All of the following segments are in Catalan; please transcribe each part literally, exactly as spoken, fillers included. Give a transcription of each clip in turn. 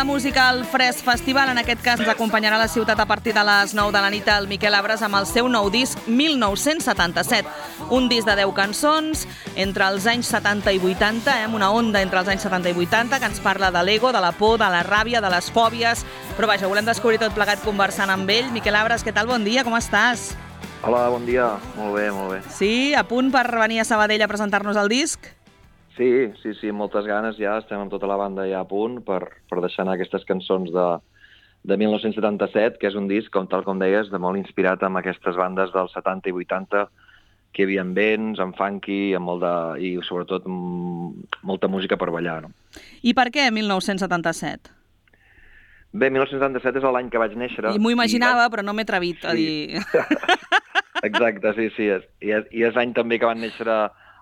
la música al Fresc Festival. En aquest cas ens acompanyarà a la ciutat a partir de les nou de la nit el Miquel Abres amb el seu nou disc mil nou-cents setanta-set. Un disc de deu cançons entre els anys setanta i vuitanta, eh, una onda entre els anys setanta i vuitanta que ens parla de l'ego, de la por, de la ràbia, de les fòbies. Però vaja, volem descobrir tot plegat conversant amb ell. Miquel Abres, què tal? Bon dia, com estàs? Hola, bon dia. Molt bé, molt bé. Sí, a punt per venir a Sabadell a presentar-nos el disc? Sí, sí, sí, moltes ganes ja. Estem amb tota la banda ja a punt per, per deixar anar aquestes cançons de, de mil nou-cents setanta-set, que és un disc, com tal com deies, de molt inspirat amb aquestes bandes dels setanta i vuitanta, que hi havia vents, amb funky, amb molt de, i sobretot m- molta música per ballar, no? I per què mil nou-cents setanta-set? Bé, mil nou-cents setanta-set és l'any que vaig néixer. I m'ho imaginava, i... però no m'he atrevit a sí. dir... Exacte, sí, sí. És, i, és, I és l'any també que van néixer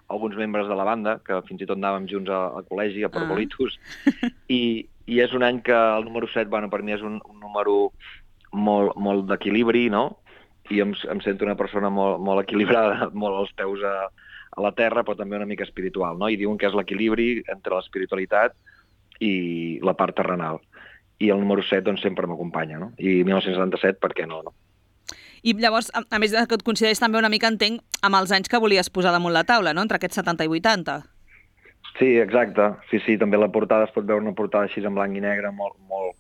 alguns membres de la banda, que fins i tot anàvem junts al col·legi, a Parvolitos, ah. I, i és un any que el número set, bueno, per mi és un, un número molt, molt d'equilibri, no? I em, em sento una persona molt, molt equilibrada, molt als peus a, a la terra, però també una mica espiritual, no? I diuen que és l'equilibri entre l'espiritualitat i la part terrenal. I el número set, doncs, sempre m'acompanya, no? I mil nou-cents setanta-set, per què no, no? I llavors, a, a més que et consideris també una mica, entenc, amb els anys que volies posar damunt la taula, no?, entre aquests setanta i vuitanta. Sí, exacte. Sí, sí, també la portada es pot veure una portada així en blanc i negre, molt, molt,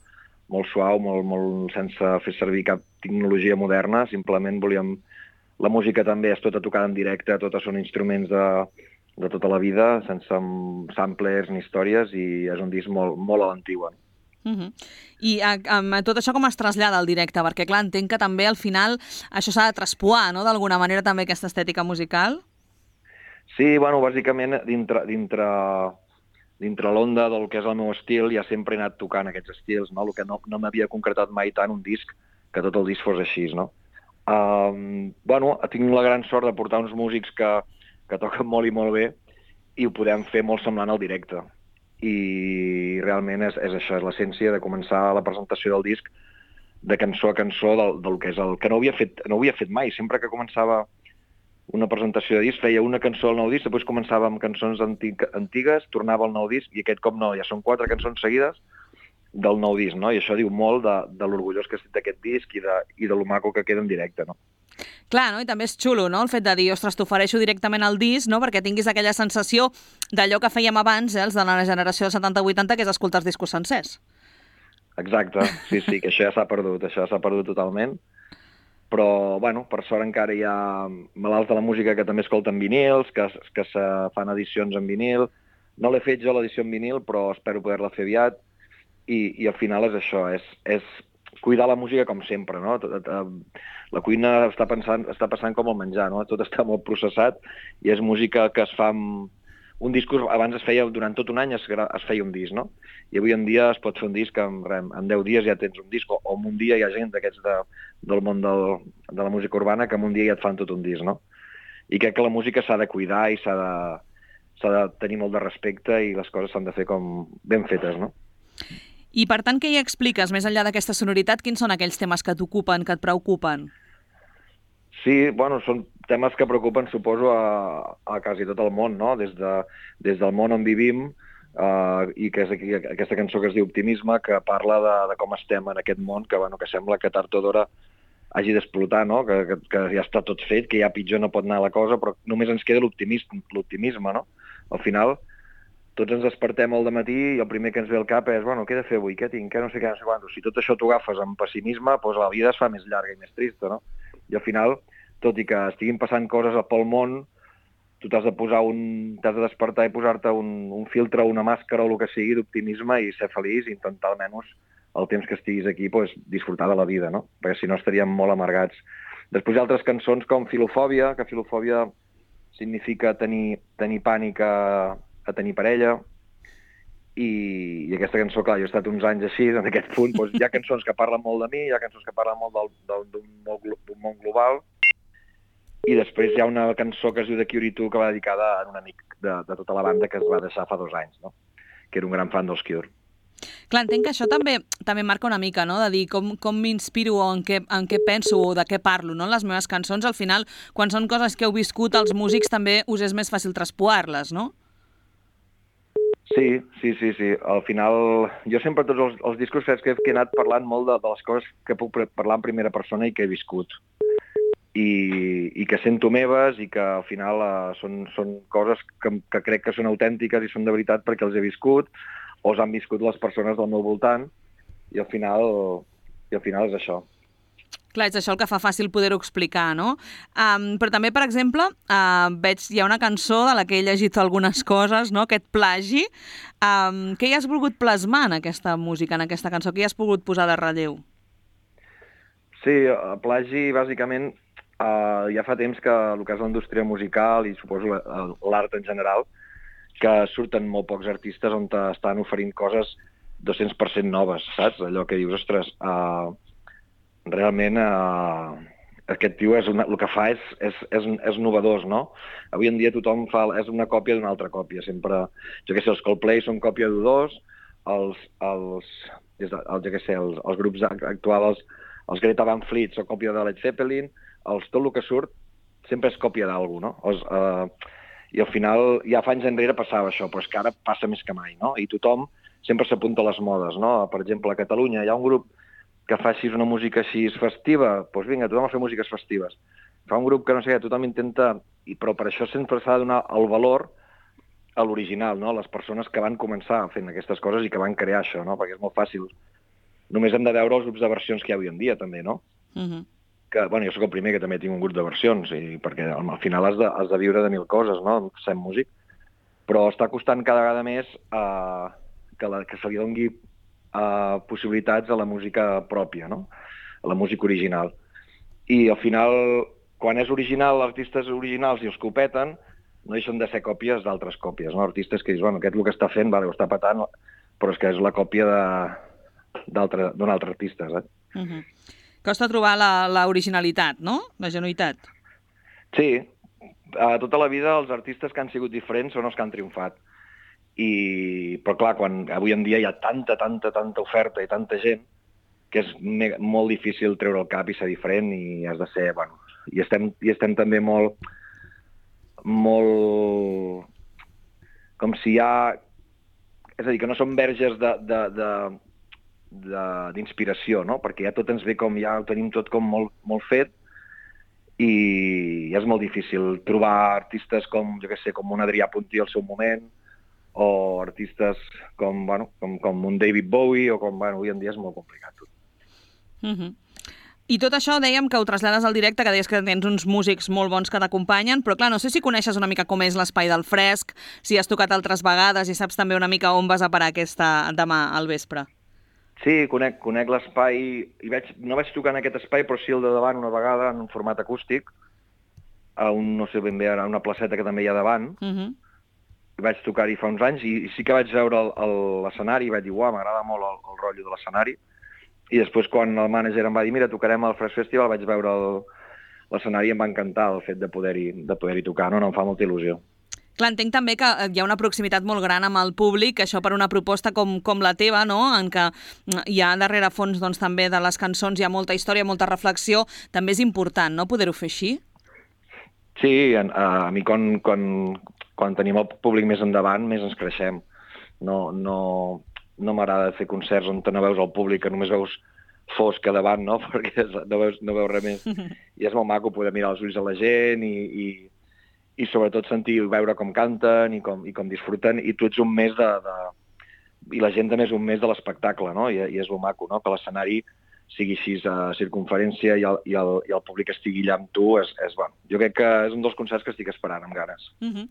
molt suau, molt, molt sense fer servir cap tecnologia moderna. Simplement volíem... La música també és tota tocada en directe, totes són instruments de, de tota la vida, sense samplers ni històries, i és un disc molt, molt a l'antigua. Uh -huh. I a, a, tot això com es trasllada al directe? Perquè, clar, entenc que també al final això s'ha de traspoar, no?, d'alguna manera també aquesta estètica musical. Sí, bueno, bàsicament dintre, dintre, dintre l'onda del que és el meu estil ja sempre he anat tocant aquests estils, no? El que no, no m'havia concretat mai tant un disc, que tot el disc fos així, no? Um, bueno, tinc la gran sort de portar uns músics que, que toquen molt i molt bé i ho podem fer molt semblant al directe. I realment és, és això, és l'essència de començar la presentació del disc de cançó a cançó del, del que és el que no havia fet, no havia fet mai. Sempre que començava una presentació de disc feia una cançó al nou disc, després començava amb cançons antic, antigues, tornava al nou disc i aquest cop no, ja són quatre cançons seguides del nou disc, no? I això diu molt de, de l'orgullós que estic d'aquest disc i de, i de lo maco que queda en directe, no? Clar, no? I també és xulo, no?, el fet de dir, ostres, t'ofereixo directament el disc, no?, perquè tinguis aquella sensació d'allò que fèiem abans, eh, els de la generació de setanta vuitanta, que és escoltar els discos sencers. Exacte, sí, sí, que això ja s'ha perdut, això ja s'ha perdut totalment. Però, bueno, per sort encara hi ha malalts de la música que també escolten vinils, que, que se fan edicions en vinil. No l'he fet jo l'edició en vinil, però espero poder-la fer aviat. I, i al final és això, és, és cuidar la música com sempre, no? La cuina està, pensant, està passant com el menjar, no? Tot està molt processat i és música que es fa amb... Un disc abans es feia, durant tot un any es, es feia un disc, no? I avui en dia es pot fer un disc en, en deu dies ja tens un disc, o, o en un dia hi ha gent d'aquests de, del món del, de la música urbana que en un dia ja et fan tot un disc, no? I crec que la música s'ha de cuidar i s'ha de, s'ha de tenir molt de respecte i les coses s'han de fer com ben fetes, no? I per tant, què hi expliques, més enllà d'aquesta sonoritat? Quins són aquells temes que t'ocupen, que et preocupen? Sí, bueno, són temes que preocupen, suposo, a, a quasi tot el món, no? Des, de, des del món on vivim, uh, i que és aquí, aquesta cançó que es diu Optimisme, que parla de, de com estem en aquest món, que, bueno, que sembla que tard o d'hora hagi d'explotar, no? Que, que, que ja està tot fet, que ja pitjor no pot anar la cosa, però només ens queda l'optimisme, l'optimisme, no? Al final, tots ens despertem al dematí i el primer que ens ve al cap és, bueno, què he de fer avui, què tinc, què no sé què, no sé quant. Si tot això t'ho agafes amb pessimisme, doncs la vida es fa més llarga i més trista, no? I al final, tot i que estiguin passant coses pel món, tu t'has de posar un... t'has de despertar i posar-te un, un filtre, una màscara o el que sigui d'optimisme i ser feliç i intentar almenys el temps que estiguis aquí doncs, disfrutar de la vida, no? Perquè si no estaríem molt amargats. Després hi ha altres cançons com Filofòbia, que filofòbia significa tenir, tenir pànic a, a tenir parella, i, i aquesta cançó, clar, jo he estat uns anys així, en aquest punt, doncs, hi ha cançons que parlen molt de mi, hi ha cançons que parlen molt del, del, d'un món global, i després hi ha una cançó que es diu The Cure two que va dedicada a un amic de, de tota la banda que es va deixar fa dos anys, no? Que era un gran fan dels Cure. Clar, entenc que això també també marca una mica, no?, de dir com, com m'inspiro o en què, en què penso o de què parlo, no?, en les meves cançons. Al final, quan són coses que heu viscut, els músics també us és més fàcil traspoar-les, no? Sí, sí, sí, sí. Al final, jo sempre tots els, els discos que he, que he anat parlant molt de, de les coses que puc parlar en primera persona i que he viscut. I, i que sento meves i que al final uh, són, són coses que, que crec que són autèntiques i són de veritat perquè els he viscut o els han viscut les persones del meu voltant i al final, i al final és això. Clar, és això el que fa fàcil poder-ho explicar, no? Um, però també, per exemple, uh, veig, hi ha una cançó de la que he llegit algunes coses, no? Aquest plagi. Um, què hi has volgut plasmar en aquesta música, en aquesta cançó? Què hi has pogut posar de relleu? Sí, el plagi, bàsicament, uh, ja fa temps que el que és la indústria musical i suposo l'art en general, que surten molt pocs artistes on estan oferint coses dos-cents per cent noves, saps? Allò que dius, ostres, uh, realment uh, aquest tio és una, el que fa és, és, és, és novedós, no? Avui en dia tothom fa, és una còpia d'una altra còpia. Sempre, jo què sé, els Coldplay són còpia d'U dos, els, els, els, jo què sé, els, els grups actuals, els, els Greta Van Fleet són còpia de Led Zeppelin, els, tot el que surt sempre és còpia d'algú, no? Els, uh, I al final, ja fa anys enrere passava això, però és que ara passa més que mai, no? I tothom sempre s'apunta a les modes, no? Per exemple, a Catalunya hi ha un grup que fa així una música així festiva, doncs vinga, tothom a fer músiques festives. Fa un grup que no sé què, tothom intenta, però per això sempre s'ha de donar el valor a l'original, no? A les persones que van començar fent aquestes coses i que van crear això, no? Perquè és molt fàcil. Només hem de veure els grups de versions que hi ha avui en dia, també, no? Uh-huh. Que, bueno, jo sóc el primer que també tinc un grup de versions, i perquè al final has de, has de viure de mil coses, no? Sent músic. Però està costant cada vegada més uh, que, la, que se li doni Uh, possibilitats a la música pròpia, no? A la música original. I al final, quan és original, artistes originals i els que ho peten, no deixen de ser còpies d'altres còpies, no? Artistes que dius, bueno, aquest el que està fent, vale, ho està petant, però és que és la còpia d'un altre, altre artista, saps? Uh-huh. Costa trobar l'originalitat, no? La genuïtat. Sí. Uh, tota la vida els artistes que han sigut diferents són els que han triomfat. I, però clar, quan avui en dia hi ha tanta, tanta, tanta oferta i tanta gent que és me molt difícil treure el cap i ser diferent i has de ser, bueno, i estem, i estem també molt, molt, com si hi ha, és a dir, que no som verges de, de, de, d'inspiració, no? Perquè ja tot ens ve com, ja ho tenim tot com molt, molt fet i és molt difícil trobar artistes com, jo què sé, com un Adrià Puntí al seu moment, o artistes com, bueno, com, com un David Bowie, o com, bueno, avui en dia és molt complicat tot. Uh-huh. I tot això dèiem que ho trasllades al directe, que deies que tens uns músics molt bons que t'acompanyen, però clar, no sé si coneixes una mica com és l'espai del Fresc, si has tocat altres vegades i saps també una mica on vas a parar aquesta demà al vespre. Sí, conec, conec l'espai, i veig, no vaig tocar en aquest espai, però sí el de davant una vegada en un format acústic, a un, no sé ben bé, a una placeta que també hi ha davant, uh-huh. Vaig tocar-hi fa uns anys i sí que vaig veure l'escenari i vaig dir, uau, m'agrada molt el, el rotllo de l'escenari. I després quan el mànager em va dir, mira, tocarem al Fresc Festival, vaig veure l'escenari i em va encantar el fet de poder-hi de poder-hi tocar, no? No, em fa molta il·lusió. Clar, entenc també que hi ha una proximitat molt gran amb el públic, això per una proposta com, com la teva, no? En què hi ha darrere fons doncs, també de les cançons, hi ha molta història, molta reflexió, també és important, no?, poder-ho fer així? Sí, a, a mi quan... quan quan tenim el públic més endavant, més ens creixem. No, no, no m'agrada fer concerts on no veus el públic, que només veus fosc a davant, no? Perquè no veus, no veus res més. I és molt maco poder mirar els ulls a la gent i, i, i sobretot sentir i veure com canten i com, i com disfruten, i tu ets un més de... de... i la gent també és un més de l'espectacle, no? I, i és lo maco, no? Que l'escenari sigui així a circunferència i el, i, el, i el públic estigui allà amb tu, és, és bon. Jo crec que és un dels concerts que estic esperant amb ganes. Uh-huh.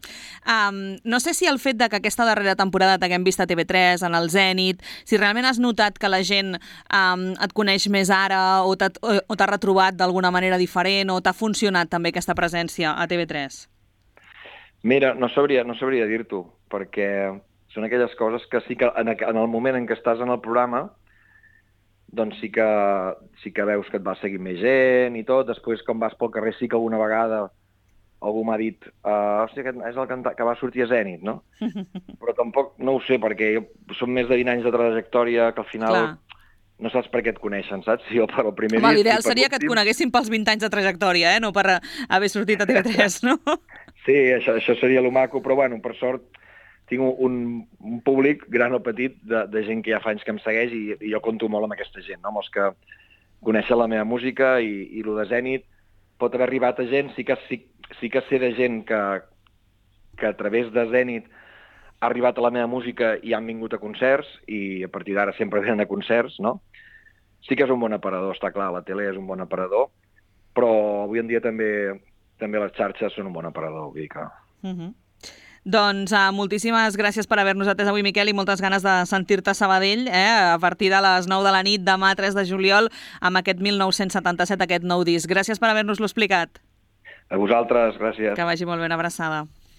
um, no sé si el fet de que aquesta darrera temporada t'haguem vist a T V tres, en el Zènit, si realment has notat que la gent um, et coneix més ara o t'ha retrobat d'alguna manera diferent o t'ha funcionat també aquesta presència a T V tres? Mira, no sabria, no sabria dir-t'ho, perquè són aquelles coses que sí que en, en el moment en què estàs en el programa doncs sí que, sí que veus que et va seguir més gent i tot. Després, quan vas pel carrer, sí que alguna vegada algú m'ha dit uh, hòstia, aquest és el cantant que va sortir a Zènit, no? Però tampoc no ho sé, perquè són més de vint anys de trajectòria que al final Clar. No saps per què et coneixen, saps? Si jo per el primer Home, l'ideal seria que et coneguessin pels vint anys de trajectòria, eh? No per haver sortit a T V tres, no? Sí, això, això seria lo maco, però bueno, per sort tinc un, un públic, gran o petit, de, de gent que ja fa anys que em segueix i, i jo compto molt amb aquesta gent, no? amb els que coneixen la meva música i, i el de Zènit pot haver arribat a gent, sí que, sí, sí que sé de gent que, que a través de Zènit ha arribat a la meva música i han vingut a concerts i a partir d'ara sempre venen a concerts, no? Sí que és un bon aparador, està clar, la tele és un bon aparador, però avui en dia també, també les xarxes són un bon aparador, vull dir que... Uh-huh. Doncs uh, moltíssimes gràcies per haver-nos atès avui, Miquel, i moltes ganes de sentir-te a Sabadell eh, a partir de les nou de la nit, demà tres de juliol, amb aquest mil nou-cents setanta-set, aquest nou disc. Gràcies per haver-nos-lo explicat. A vosaltres, gràcies. Que vagi molt ben, abraçada.